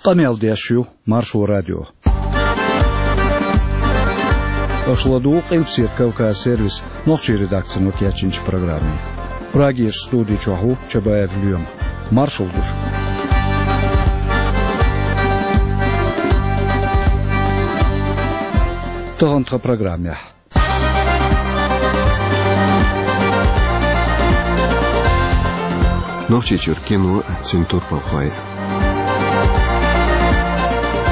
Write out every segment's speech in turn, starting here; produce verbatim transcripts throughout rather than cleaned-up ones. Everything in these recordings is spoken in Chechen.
Къамел деш ю Маршо радио. Аша ладугӀу Къилбаседа Кавказ сервисан нохчийн редакцино кечйинчу программе. Прагерчу студи чохь ву Чабаев Лоьма. Маршалла ду шуьга. Тахана тхан программехь. Нохчийчуьра кино, цуьнан турпалхой.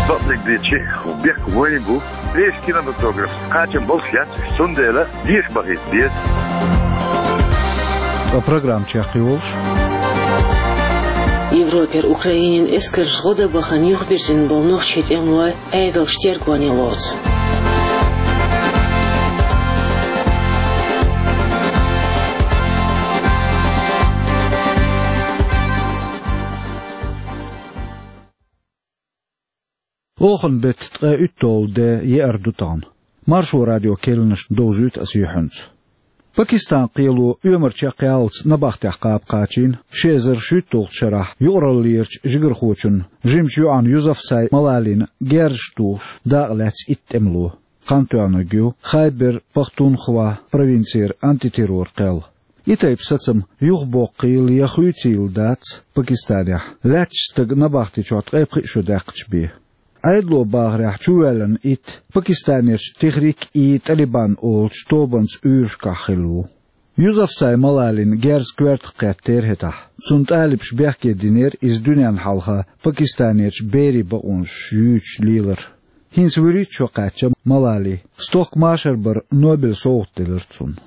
Бакъдерг дийцича, бехк вайн бу. Вешан кинематограф кхачам болуш яц, цундела деша бахийта деза. Ткъа программа чекхйолуш. Европера Украинин эскарша гӀо дан бахана юхабирзина болу нохчийн тӀемалой Ӏедалша тергоне лоцу. Оханан беттан ткъе уьтталгӀа де еара ду тахана. Маршо радион керланашна довзуьйту аса юьхьанца. Пакистан кхело оьмар чекхъяллалц набахтехь кхаба кхачийна ши эзар шуьйтталгӀачу шарахь юкъараллерчу жигархочун, жимачу йоӀан Юзафсай Малалин герзаш тухуш дакъа лаьцна итт тӀемало. Кхантоьхнарг ю Хайбер-Пахтунхва провинцера антитеррор кхел. И тайпа сацам юхабоккхийла я хуьйцийла дац Пакистанехь, лаьттачу стага набахти чохь ткъе пхи шо даьккхича бен. Ӏедало бахарехь, чувоьллина итт Пакистанерчу Техрик-и-Талибан олучу тобанца уьйрашкахь хилла ву. Юзафсай Малалин герз коьртах кхеттера хӀетахь. Цунна талибаша бехке динера иза дуьненна хьалха Пакистанерчу берийн бакъонаш юьйцуш лелар. ХӀинца вуьрхӀитта шо кхаьчна Малали. Стохка машар бар Нобелан совгӀат делира цунна.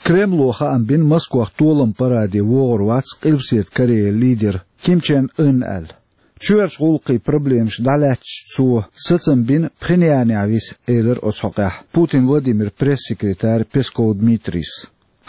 Кремло хаам бина Москвахь толам параде вогӀур вац Къилбаседа Корея лидер Ким Чен Ын аьлла. Чоьхьарчу гӀуллакхийн проблемаш дӀалаьцча цо сацам бина Пхеньянехь виса, элира оцу хьокъехь Путин Владимиран пресс-секретарь Песков Дмитрийс.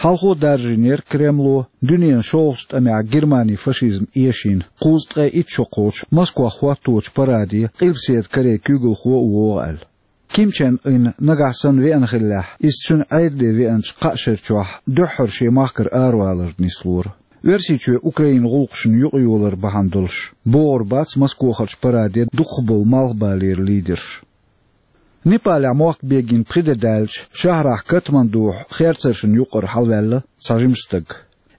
Хьалхо даржийнера Кремло дуьненан шолгӀачу тӀамехь Германин фашизм эшийна кхузткъе итт шо кхочу Москвахь хӀотточу параде Къилбаседа Корей куьйгалхо а вогӀу аьлла. Ким Чен Ын нагахь санна веана хиллехь, иза цуьнан Ӏедале веанчу кхаа шера чохь дуьххьара шен махкара аравалар нислора. Оьрсийчоь Украинан гӀуллакхашна юкъайолар бахьана долуш богӀур бац Москвахарчу параде дукхахболу малхбалера лидерш. Непалехь мохк бегийна пхи де даьлча, шахьарахь Катмандухь херцаршна юкъара хьалаваьлла цхьа жима стаг.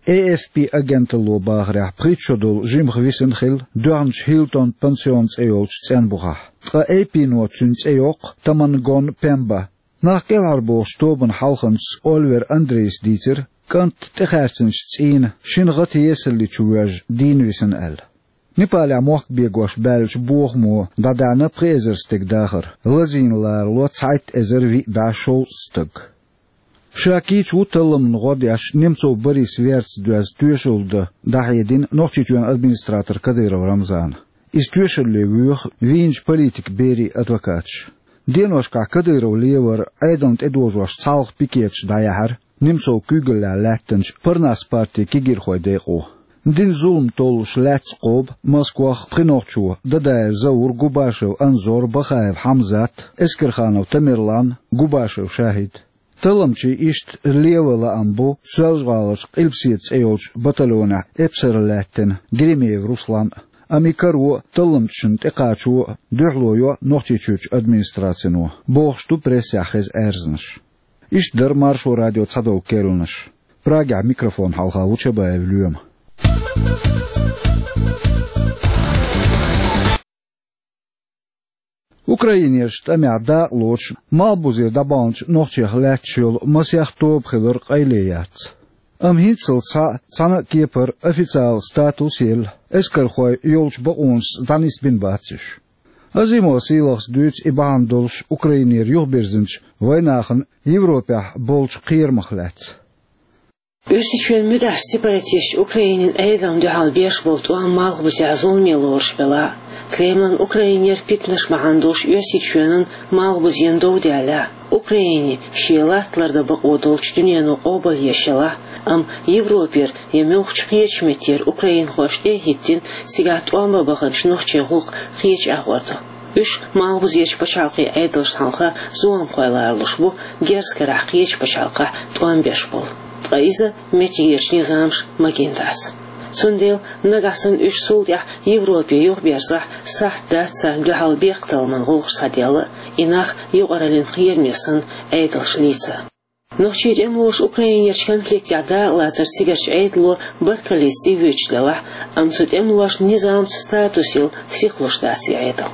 Э Эф Пи агенталло бахарехь, пхийтта шо долу жимха висина хилла доьхначу Хилтон пансион цӀе йолчу цӀенбухахь. Ткъа Эй Пи-но цуьнан цӀе йоккху Тамангон Пемба. Нах кӀелхьарбохучу тобанан хьалханца Оливер Андрейс дийцира, кӀант тӀехаьрцинчу цӀийнан шина гӀатесалли чу воьжна дийна висина аьлла. Непалехь мохк бегош баьллачу бохамо дӀадаьхьна пхи эзар стеган дахар, лазийна ларало цхьайтта эзар виъ бӀе шовзткъа стаг. Ша кийча ву талламна гӀо деш Немцов Борис верца доьзна тоьшалла дан дӀахьедина Нохчийчоьнан администратор Кадыров Рамзана. Иза тоьшалле воьху вийначу политикан берийн адвокаташ. Деношкахь Кадыров левар Ӏедална тӀедожош цхьалха пикеташ дӀаяьхьира Немцовн куьйгаллехь лаьттинчу Парнас партин кегийрхойн декъо. Дина зулам толлуш лаьцна кхобу Москвахь пхи нохчо: Дадаев Заур, Губашев Анзор, Бахаев Хьамзат, Эскерханов Тамерлан, Губашев Шахид. Талламчийн иштта леван лаам бу Соьлжа-ГӀаларчу Къилбаседа цӀе йолчу батальонехь эпсаралла лаьттина Гремеев Руслан а. Амма и каро а, талламчашна тӀекхачо а дуьхьало йо Нохчийчуьрчу администрацино, бохуш ду прессехь хеза аьрзнаш. Иштта дара Маршо радион цхьадолу керланаш. Прагехь микрофон хьалха ву Чабаев Лоьма. Украинерчу тӀамехь дакъа лоцуш, малхбузера дӀабаханчу нохчех лаьтташ йолу масех тоба хилар къайле яц. Амма хӀинццалц схьа цхьана а кепара официалан статус елла, эскархой йолчу бакъонашца дӀанисбина бац уьш. Азимов Сийлахьас дуьйцу и бахьана долуш Украинера юхабирзинчу вайнахана Европехь болчу кхерамах лаьцна. Оьрсийчоьнан муьтӀахьчу сепаратисташа Украинин Ӏедална дуьхьал беш болу тӀом малхбузехь зуламе лоруш белахь а, Кремлан Украинера питанаш бахьана долуш Оьрсийчоьнан малхбузен дов даьллехь а, Украине шен латта лардан бакъо долчу дуьнено къобалъеш елахь а, амма Европера я муьлххачу кхечу меттера украинхошна тӀе а хӀиттина, цигахь тӀом бан баханчу нохчийн гӀуллакх кхечу агӀор ду. Уьш малхбузерчу пачхьалкхийн Ӏедалшна хьалха зуламхой ларалуш бу, герз карахь кхечу пачхьалкхехь тӀом беш болу. Ткъа иза меттигерчу низамаша магийна дац. Цундела нагахь санна уьш цул тӀаьхьа Европе юхаберзахь, сахьт дац царна дуьхьал бехктакхаман гӀуллакхаш схьаделла, и нах юкъараллин кхераме санна Ӏедалш лийца. Нохчийн тӀемалоша Украинерчу конфликтехь дакъалацар цигарчу Ӏедало баркаллица тӀевоьдуш делахь а, амма цу тӀемалошна низамца статус йилла сихлуш дац и Ӏедал.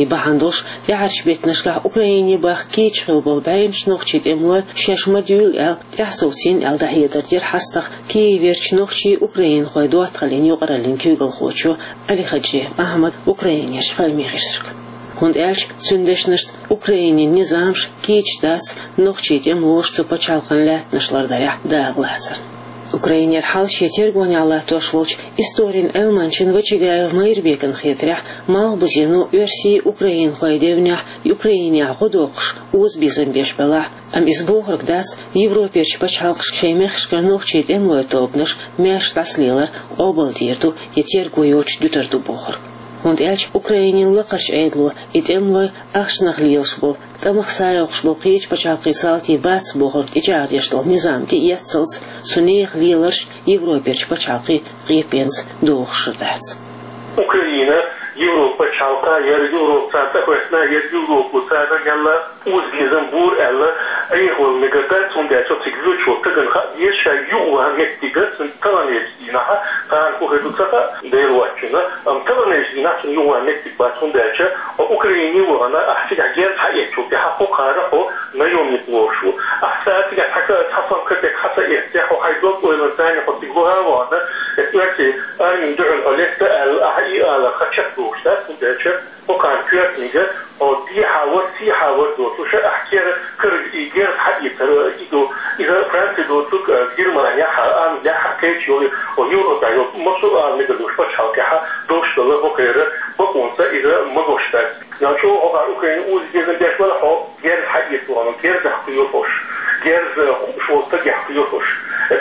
И бахьана долуш, тӀаьхьарчу беттанашкахь Украине бахка кийча хилла болу бӀеннаш нохчийн тӀемалой шаьш ма дуьйлу аьлла, тӀаьхьасовцийна аьлла дӀахьедар дира хьастагӀа Киеверчу нохчийн украинхойн доттагӀаллин юкъараллин куьйгалхочо Алихаджиев Ахьмада Украинерчу хаамийн гӀирсашка. ХӀунда аьлча цуьнан дешнашца Украинин низамаш кийча дац нохчийн тӀемалоша цу пачхьалкхан лаьттанаш лардарехь дакъалацарна. Украинера хьал шен тергонехь латтош волчу историн Ӏилманчин Вачагаев Майрбекан хетарехь, Малхбузено оьрсийн украинхойн девнехь Украинехь гӀо доккхуш озабезам беш белахь а, амма иза бохург дац Европерчу пачхьалкхашка шайн мехкашкара нохчийн тӀемалойн тобанаш маьрша дӀасалелар къобалдийр ду я терго йоцуш дуьтур ду бохург. ХӀунда аьлча Украинин лакхарчу Ӏедало и тӀемалой ахчанах лелаш болу, тӀамах схьайоккхуш болу кхечу пачхьалкхийн салтий бац бохург тӀечӀагӀдеш долу низам тӀеэццалц, цу нехан леларш Европерчу пачхьалкхийн къепенца дохуш дац. Украина Европа пачхьалкх, яра Европа царна тӀехӀоьттина, яра Европо царна мелла озабезам бора аьлла, Ӏехавала мегар дац, хӀунда аьлча цига воьдуш волу стагана хаа деза, ша юхаваьлла меттиг, цуьнан таханлерчу дийнахь, тахана хӀун хир ду ца хаьа, Дела воцчунна, амма таханлерчу дийнахь цунна юхаваьлла меттиг бац, хӀунда аьлча хьо Украине вахана, ахь цигахь герз схьаэцначул тӀаьхьа хьо кхара хьо наемник лоруш ву. Ахь цара цигахь цхьа ка-, цхьа сом капек хьа ца эцча, хьо хьайн дог-ойланца хьо цига ваха а вахана, эцу оьрсийн армин дуьхьал хьо летта аьлла, ахьа и алар хьан чекхдолуш дац, хӀунда аьлча хьо кхана коьртаниг, хьо дехьа вара, сехьа вара доцуш, ахь кер-, кара и герз схьаэцар, и ду, иза Франци доцург, а, Германехь, Англехь, кхечу йолу, хьо Европехь йолу, массо а ала мегар долуш пачхьалкхехь долуш долу хӀокхеран бакъонца иза магош дац. Дан чӀогӀа хьо кхара Украине озабезам беш вара хьо, герз схьаэца вахана, герзах кхоьру хьуш, герз хууш волу стагех кхоьру хьуш.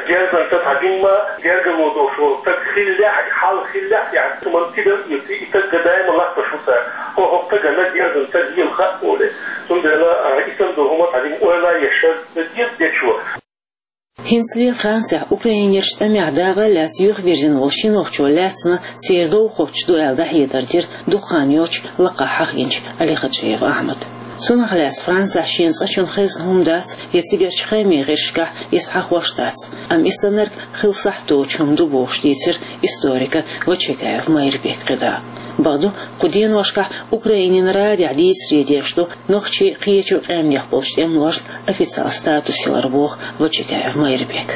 Герзанца цхьа жимма гергарло долуш волу стаг хиллехь, хьал хиллехь, яхь, цу ман тидам эций, и стаг гадаима латташ ву цара. Хьо хӀокху стагана герзанца лела хаьа олий. Цундела, а, и санна долу хӀума цхьа жимма ойла еш деза дечо. ХӀинцале Францехь Украинерчу тӀамехь дакъа а лаьцна юхавирзина волу ши нохчо лаьцна церан дов хоттуш ду аьлла дӀахьедар дира дукха хан йоццуш лакхахь хьахийначу Алихаджиев Ахьмада. Цунах лаьцна Францехь шена цкъачунна хезна хӀума дац я цигарчу хаамийн гӀирсашкахь иза хьахош дац, амма и саннарг хила сахьт доцуш хӀума ду бохуш дийцира историка Вачагаев Майрбека кхидӀа. Бакъду, кху деношкахь Украинин радиохь дийцаре деш ду нохчийн, кхечу къаьмнех болчу тӀемалошна официал статус ялар, боху Вачагаев Майрбека.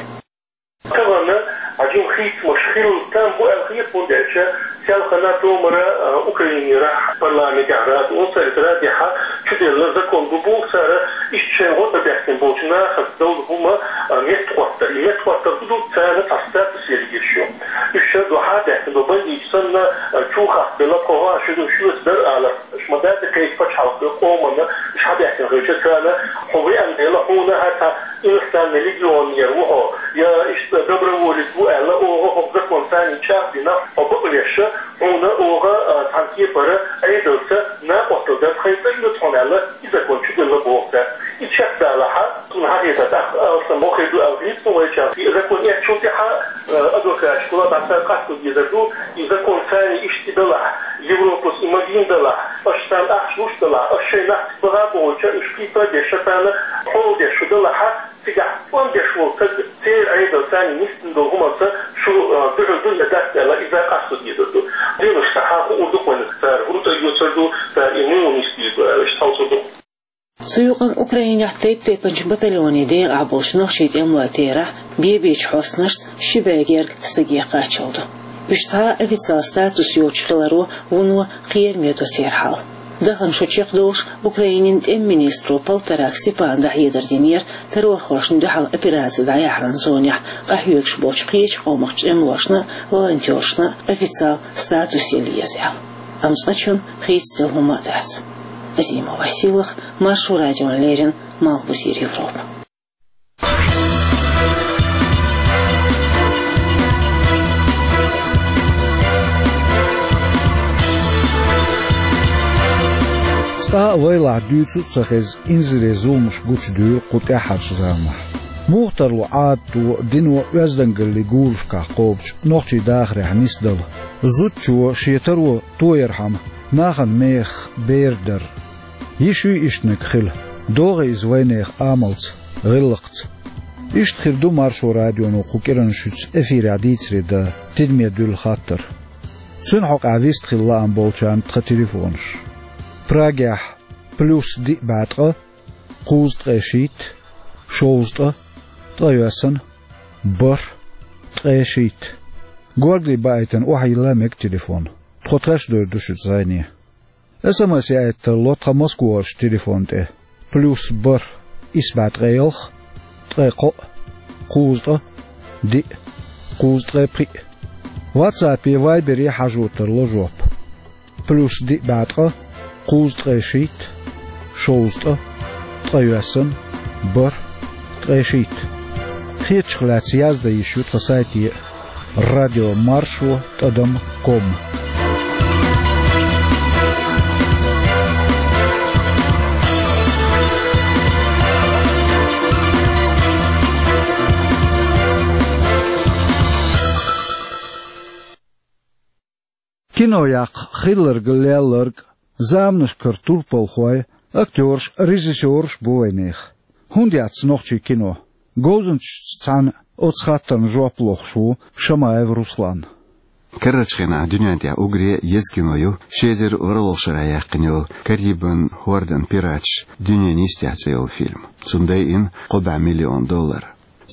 Тахана хьажим хийцамаш хилла там бу аьлла хета, хӀунда аьлча селхана томара, а, Украинера парламентехь рада, оцу радиохь чуделла закон ду боху цара, иштта шайн гӀо тӀебаьхкина болчу нахаца долу хӀума, а, меттахӀоттар. И меттахӀоттар хӀун ду, царна цхьа статус яла езаш ю. Уьш шайн дуьхьа баьхкина бу, бандиташ санна, а, чу хатта белла, кхо гӀа шу ду, шуьца дара алар. Ма дац кхечу пачхьалкхан къоманна уьш хьабаьхкина хилча, царна хьо веана дела, хьуна хьан цхьа иностранный легионер ву хьо, я иштта доброволец ву аьлла, оха хӀокху закон царна чӀагӀдина, хьо бакъвеш, хьуна оха, а, цхьана кепара Ӏедалца накъосталла дан тхайн цӀа йоьду хьуна аьлла, и закон чуделла боху цара. И чекхдалахь, суна хьахетарехь, алсам хӀокхуьнга ду аьлла хета вайчарна. И закон эцначул тӀаьхьа, э, адвокаташкахула дӀа цара къасто дезар ду, и закон царна иштта и далахь, Европас и магийна далахь, аша царна ахча луш далахь, аша шайн нах баха а бохуча, уьш кхийпа а деш, ша царна хьол деш шу далахь, цигахь тӀом беш волу стаг церан Ӏедал царна нисдина долу хӀуманца шу, э, дуьхьал дуьйна дац аьлла, иза къасто дезар ду. Делаш сан хьан хуур ду-кх вайна, цара хӀун тӀе йоцур ду, цара и муха нисдийр ду аьлла, иштта хьовсур ду. Цу юкъана Украинехь тайп-тайпанчу батальонийн декъахь болчу нохчийн тӀемалойн терахь бе-бечу хьостанашца ши бӀе герга стаге кхаччалла ду. Уьш цхьа а официал статус йоцуш хиларо вуно кхераме до церан хьал. Дахана шо чекхдолуш Украинин тӀеман министро Полторак Степана дӀахьедар динера террорхошна дуьхьал операци дӀаяхьаран зонехь къахьоьгуш болчу кхечу къомах тӀемалошна а, волонтёршна а официал статус яла еза аьлла. Амма цкъачунна хийцаделла хӀума а дац. Азимова Сийлаха, Маршо радиона леррина, Малхбузера Европа. Цкъа а вайлахь дуьйцу а ца хеза, инзаре зуламаш гучудевлла кху тӀаьххьарчу заманахь. Муха тарлу Ӏадато, дино, оьздангаллин гурашкахь кхобучу нохчийн дахарехь нисдала? Зудчо шен таро тоярхьама нахана мехах бер дар. Йиш юй иштаниг хила? ДогӀий иза вайнехан амалца, гӀиллакхца? Иштта хир ду Маршо радионо кху кӀиранан шуьца эфирехь дийцаре дан тидаме дуьллу хаттар. Цуьнан хьокъехь вистхила лаам болчарна тхан телефонаш. Прагехь: плюс диъ бӀе ткъа, кхузткъе шийтта, шовзткъа, ткъайоьсна, бархӀ, ткъе шийтта. Горгали баийтина охьайилла мега телефон. Тхо тхаьш а дойр ду шуьца зӀене. СМС яийта тарло тхан Москварчу телефон тӀе: плюс бархӀ, исс бӀе ткъе ялх, ткъе кхоъ, кхузткъа, диъ, кхузткъе пхиъ. WhatsApp-е, Viber-е хьажо тарло жоп: плюс диъ бӀе ткъа, кхузткъе шийтта, шовзткъа, ткъайоьсна, бархӀ, ткъе шийтта. Хетачух лаьцна яздан йиш ю тхан сайте: радио маршо тӀадам ком. Кино яккха хилларг, лелларг заманашкара турпалхой, актёраш, режиссёраш бу вайнехан. ХӀунда яц нохчийн кино? Говзанчашца цхьаьна оцу хаттарна жоп лохуш ву Шамаев Руслан. Карарчу хенахь дуьнен тӀехь уггаре еза кино ю ши эзар ворхӀалгӀа шарахь яьккхина йолу «Карибан хӀордан пираташ: дуьненан йистехь» цӀе йолу фильм. Цунна дайина кхо бӀе миллион доллар.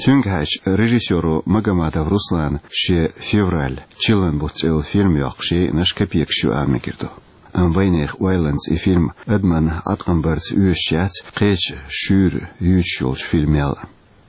Цуьнгахьаьжча, режиссёро Магомадов Руслана шен «Февраль» чиллан бутт цӀе йолу фильм йоккхуш яйинарш капекаш ю ала мегар ду. Амма вайнехан ойланца и фильм адамна Ӏаткъам барца оьшуш яц, кхечу шуьйра юьйцуш йолчу фильмел а.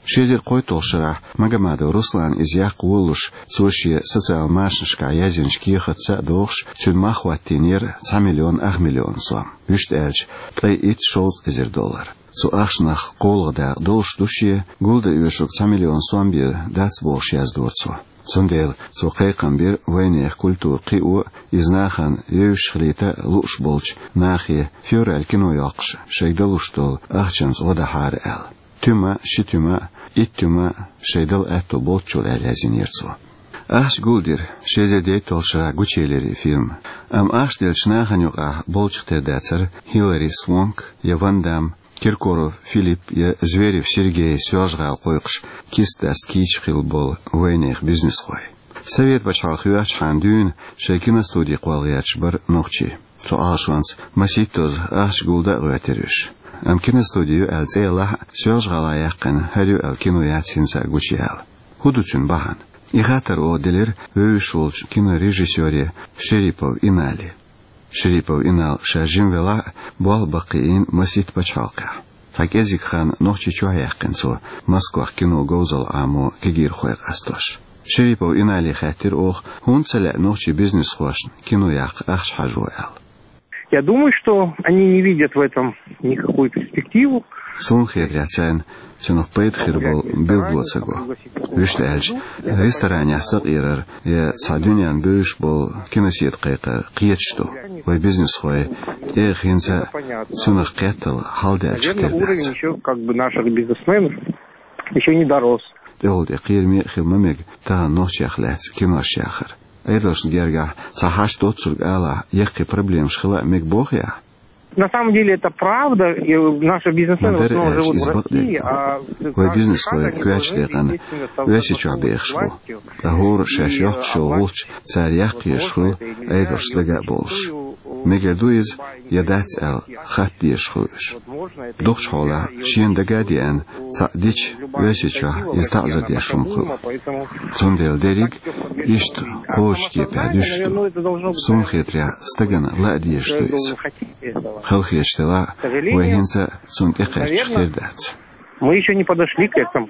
Ши эзар кхойтталгӀачу шарахь Магомадов Руслана иза яккха волалуш, цо шен социал машанашкахь язйинчу кехатца а догӀуш, цуьнан мах хӀоттийнера цхьа миллион ах миллион сом. Вуьшта аьлча, ткъе итт-шовзткъа эзар доллар. Цу ахчанах кхоалгӀа дакъа долуш ду шен, гулдан оьшург цхьа миллион сом бен дац бохуш яздора цо. Цундела цо кхайкхам бира вайнехан культура кхио, иза нахана вевзаш хилийта лууш болчу нахе «Февраль» кино йоккхуш шайга далуш долу ахчанца гӀо дахьара аьлла. Туьма, ши туьма, итт туьма шайн дала аьтто болччул аьлла язйинера цо. Ахча гулдира, ши эзар дейтталгӀачу шарахь гучуелира и фильм. Амма ахча деллачу нахана юкъахь болчух тера дацара Хилари Свонк я Ван Дамм, Киркоров Филипп я Зверев Сергей Соьлжа-ГӀала кхойкхуш, кист-даста кийча хилла болу вайнехан бизнесхой. Совет пачхьалкх йоьхчахьана дуьйна шайн киностуди кхолла гӀерташ бара нохчий. Цу Ӏалашонца масийттаза ахча гулдан а гӀоьртира уьш. Амма киностуди ю аьлла цӀе ялахь а, Соьлжа-ГӀала яьккхина хӀара ю аьлла кино яц хӀинца а гучуяьлла. ХӀун ду цуьнан бахьана? И хаттар оха делира вевзаш волчу кинорежиссёре Шерипов Инали. Шерипов Инал ша жима велахь а, болх баккхийна масийтта пачхьалкхехь. Цхьа кӀеззиг хан Нохчийчохь яьккхина цо Москвахь кино говзалла Ӏамо кегийрхой къастош. Шерипов Инали хаьттира оха, хӀунда ца лаьа нохчийн бизнесхошна кино яккха ахча хьажо аьлла. Я думаю, что они не видят в этом никакую перспективу. Суна хетарехь, царна цунах пайда хир болу билгало ца го. Вуьшта аьлча, ресторанехь сакъерар я цхьа дуьненна бевзаш болу киносетта кхайкхар кхеташ ду. Вайн бизнесхой тӀегӀа хӀинца а цунах кхеттал хьалдаьллачух тера дац. Уровень ещё, как бы, наших бизнесменов ещё не дорос. ТӀехула тӀе кхераме а хила ма мега тахана нохчех лаьцна кинош яхар. Ӏедалшна гергахь цхьа хьашт доцург алахь, яккхий проблемаш хила а мега боху ахь? На самом деле это правда. И наши бизнесмены в основном живут в России, а... Ма дара аьлча, иза бакъдерг ду. Вайн бизнесхой коьртачу декъана Оьрсийчохь бехаш бу. Ткъа хӀора шаьш йоккхуш йолу гӀулч цара яккха езаш хуьлу, Ӏедалшца дага а болуш. Мегар ду иза я дац аьлла хатта дезаш хуьлу уьш. Дукхачу хьолахь, шена дага а деана, цхьаъ дича, Оьрсийчохь иза таӀзар деш хӀума хуьлу. Цундела дерриг иштта кхочучу кепехь дуьсуш ду. Суна хетарехь, стагана лаа дезаш ду иза. Халахеташ делахь а, вай хӀинца а цунна тӀекхаьччух тера дац. Мы ещё не подошли к этому.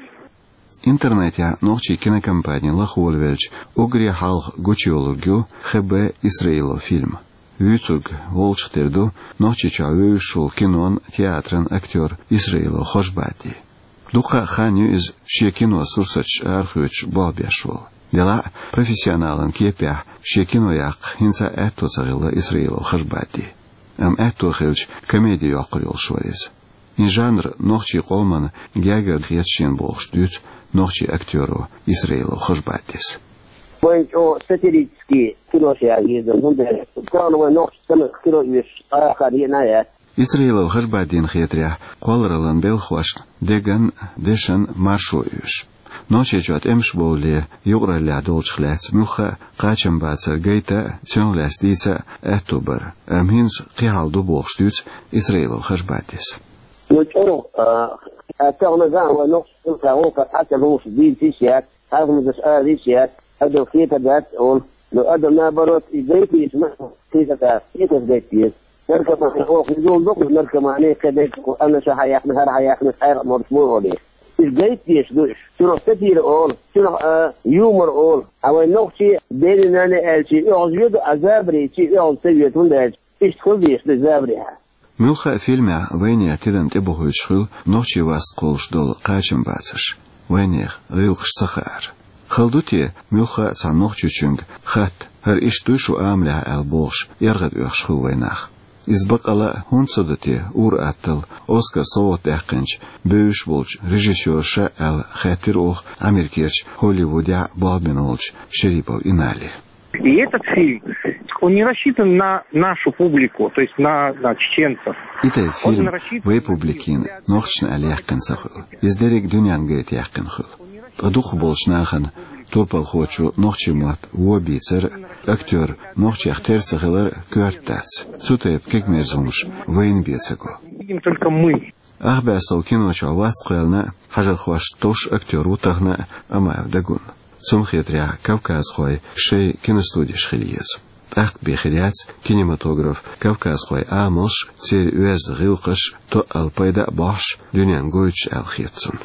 Интернетехь нохчийн кинокомпани лахволавелча уггаре хьалха гучуйолург ю Х Б Исраилов фильм. Вуьйцург волчух тера ду Нохчийчохь вевзаш волу кинон, театран актёр Исраилов Хошбади. Дуккха а хан ю иза шен кино сурсаташ арахоьцуш болх беш волу. Делахь а, профессионалан кепехь шен кино яккха хӀинца а аьтто ца хилла Исраилов Хошбади. Амма аьтто хилча, комеди йоккхур йолуш вара иза. ХӀара жанр нохчийн къоман гергара хеташ я бохуш дуьйцу нохчийн актеро Исраилов Хашбадис. Вайн чӀогӀа сатирический кинош яздина, хӀунда аьлча тахана вайн нохчийн самукъа кино оьшуш цхьа а хар йина яц. Исраилов Хашбадина хетарехь, кхоллараллин белхахошна деган, дешан маршо оьшу. Нохчийчохь тӀемаш бовлале юкъараллехь долчух лаьцна муьлхха а кхачамбацар гайта а, цунах лаьцна дийца а аьтто бара, амма хӀинца кхин хьал ду бохуш дуьйцу Исраилов Хашбадис. Ну, чӀогӀа, а, тахана зама вайн нохчийн муьлхха а вовшах Ӏа ца лууш дийца йиш яц, хьехамаш ала йиш яц, адам хетар дац олу. Ну, адам, наоборот, и гайта йиш ма, кхеташ гайта йиш. Наркомани оха иза ду-кх, наркомани кхин дерг, хӀара аша хьаяьккхина, хӀара хьаяьккхина, цхьаьрга а морш бу олий. Иза гайта дезаш ду уьш. Цунах сатира олу, цунах, а, юмор олу. Ткъа вайн нохчий, дена-нана аьлча, оьгӀаз йоьду, а забарий чу оьгӀаз ца йоьду, хӀунда аьлча иштта хила дезаш ду забарехь. Муьлхха а фильмехь вайнехан тидам тӀебохуьйтуш хуьлу нохчийн васт кхуллуш долу кхачамбацарш, вайнехан гӀиллакхаш ца хаар. Хала ду те, муьлхха а цхьана нохчочуьнга хатта, хӀара иштта дуй шун амалехь аьлла бохуш, эргӀад оьхуш хуьлу вайн нах? Иза баккъала а хӀунда ца до те, ур-атталла Оскар совгӀат даьккхинчу бевзаш болчу режиссёрша аьлла хаьттира оха Америкерчу Холливудехь болх бина волчу Шерипов Инали. И этот фильм, он не рассчитан на нашу публику, то есть на, на чеченцев. И тайпа фильм вай публикина, нохчашна аьлла яьккхина ца хуьлу. Иза дерриг а дуьненна гайта яьккхина хуьлу. Ткъа дукхахболчу нахана турпалхочо нохчийн мотт вон бийцар, актер нохчех тера ца хилар коьрта дац. Цу тайпа кегамерза хӀумаш вайна бен ца го. Видим только мы. Ах бӀе сов кино чохь васт кхоьллина хьажархошна товш актер ву тахана а Амаев Дагун. Цунна хетарехь, кавказхойн шайн киностудеш хила еза. ТӀаккха бен хир яц кинематограф, кавказхойн амалш, церан оьзда гӀиллакхаш тоъал пайда а бохьуш, дуьненна гойтуш аьлла хета цунна.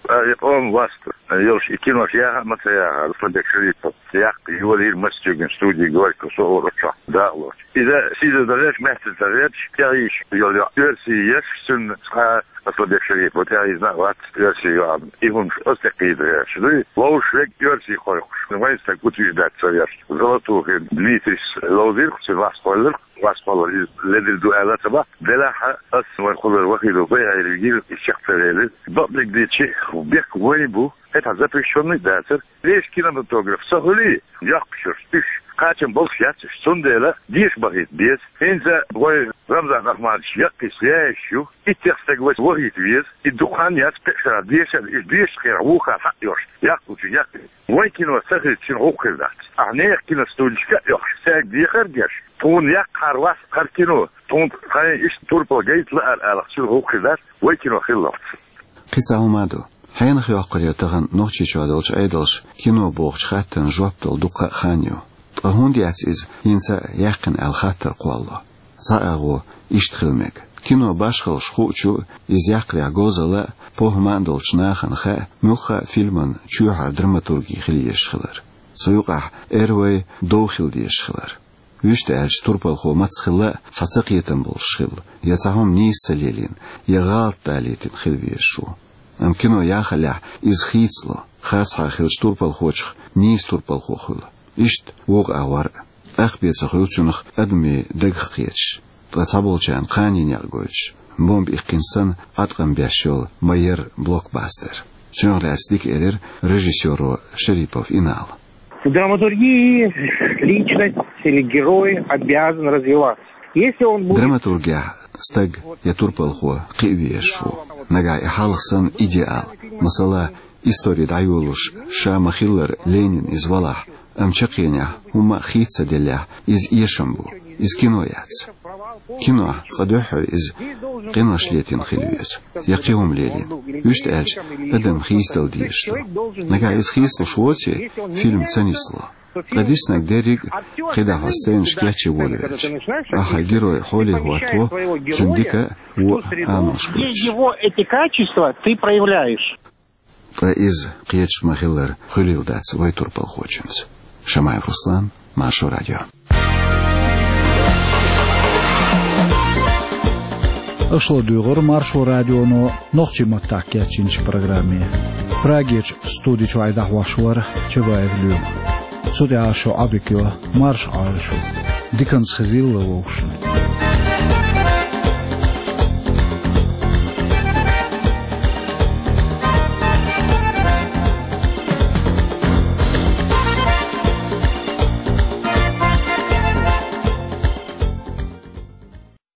А, и къоман васт йолуш и кинош яха а ма ца яхара, Асланбек Шерипов яккха йолийра массийтта студи «Горький», со а вара оцу чохь дакъалоцуш. Иза сийсаза ца гӀерташ, маьттаза ца гӀерташ, тӀехь йолу оьрсийн еш, цуьнан цкъа а Асланбек Шерипов тӀехь йизна а вац оьрсийн йоӀ. И хӀумаш оцу тӀе кхийдара еш дуй. Вовшашка оьрсийн кхойкхуш, вайн стаг утверждать ца еш. Золотухин Дмитрис ловзийра-кх, цуьнан васт кхоллира-кх, васт кхоллар иза ледара ду аьлла ца боху. Делахь а ас вайн кхуллара Вахитов Байхьайра вигира, чекх ца велира. Бакъдерг дийцича, бехк вайн бу, хӀетахь запрещённый а дацара. Вешан кинематограф ца хуьлий, йоккхуш йолуш уьш, кхачам болуш яц уьш, цундела деша бахийта беза. ХӀинца вай Рамзан Ахматович яккхий связаш ю, иттех стаг вайца вахийта веза, и дукха хан яц кхечу шарахь дешар, уьш дешачу хенахь вукхара хьаъ йолуш, яккхалучу яккхий. Вайн кино ца хилча, цуьнан гӀуллакх хир дац. Ахьа нехан киностудешка а оьхуш, цаьрга дехар а деш, тхуна яккха хӀара васт, хӀара кино, тхуна тхайн иштта турпал гайта лаьара алахь, цуьнан гӀуллакх хир дац, вайн кино хилалц. Кхин цхьа хӀума а ду. Хьенах йоккхур яра тахана Нохчийчохь долчу Ӏедалша кино бохучу хаттарна жоп дала дуккха а хан ю. Ткъа хӀунда яц иза хӀинца а яьккхина аьлла хаттар кхоллало? Цхьа агӀо иштта хила мега. Кино башхаллаш хуучу, иза яккхарехь говзалла а, похӀма а долчу нахана хаьа, муьлхха а фильман чоьхьара драматурги хила езаш хилар. Цу юкъахь эрвей дов хила дезаш хилар. Вуьшта аьлча, турпалхо маца хилла а цхьа цакхетам болуш хилла, я цхьа хӀума нийса ца лелийна, я гӀалат далийтина хила везаш ву. Амма кино яхаллехь, иза хийцало, харцахьара хиллачу турпалхочух нийса турпалхо хуьлу. Иштта вукху агӀор а. ТӀаккха бен ца хуьлу цунах адамийн дагах кхеташ, ткъа цхьаболчарна кханийн некъ гойтуш, бомба иккхина санна, Ӏаткъам беш йолу ма-ярра блокбастер. Цунах лаьцна дика элира режиссёро Шерипов Инала. В драматургии личность или герой обязан развиваться. Если он будет... Драматургехь стаг я турпалхо кхиа везаш ву. Нагахь и хьалха санна идеал, масала, истори дӀайолалуш ша ма-хиллара Ленин иза валахь, амма чаккхенехь, хӀумма а хийца ца деллехь, иза эшам бу, иза кино яц. Кинохь цкъа дуьххьара иза къинош летийна хила веза, я кхин хӀума лелийна. Вуьшта аьлча, адам хийцадала дезаш ду. Нагахь иза хийцалуш воций, фильм ца нисло. Ткъа диснарг дерриг а кхидӀа хьо сценаш кечъян волавелча, ахьа герой хьоле хӀотто, цуьнан дика а, вон а амалш хуьлуш. Его эти качества ты проявляешь. Ткъа иза кхеташ ма-хиллара хуьлийла дац вай турпалхочуьнца. Шамаев Руслан, Маршо радио. Аша ладуьйгӀира Маршо радионо нохчийн маттахь кечйинчу программе. Прагерчу студи чуьра дӀахьош вара Чабаев Лоьма. Цу тӀехь шу Ӏодика йо, марша Ӏойла шу. Диканца хезийла вовшашна.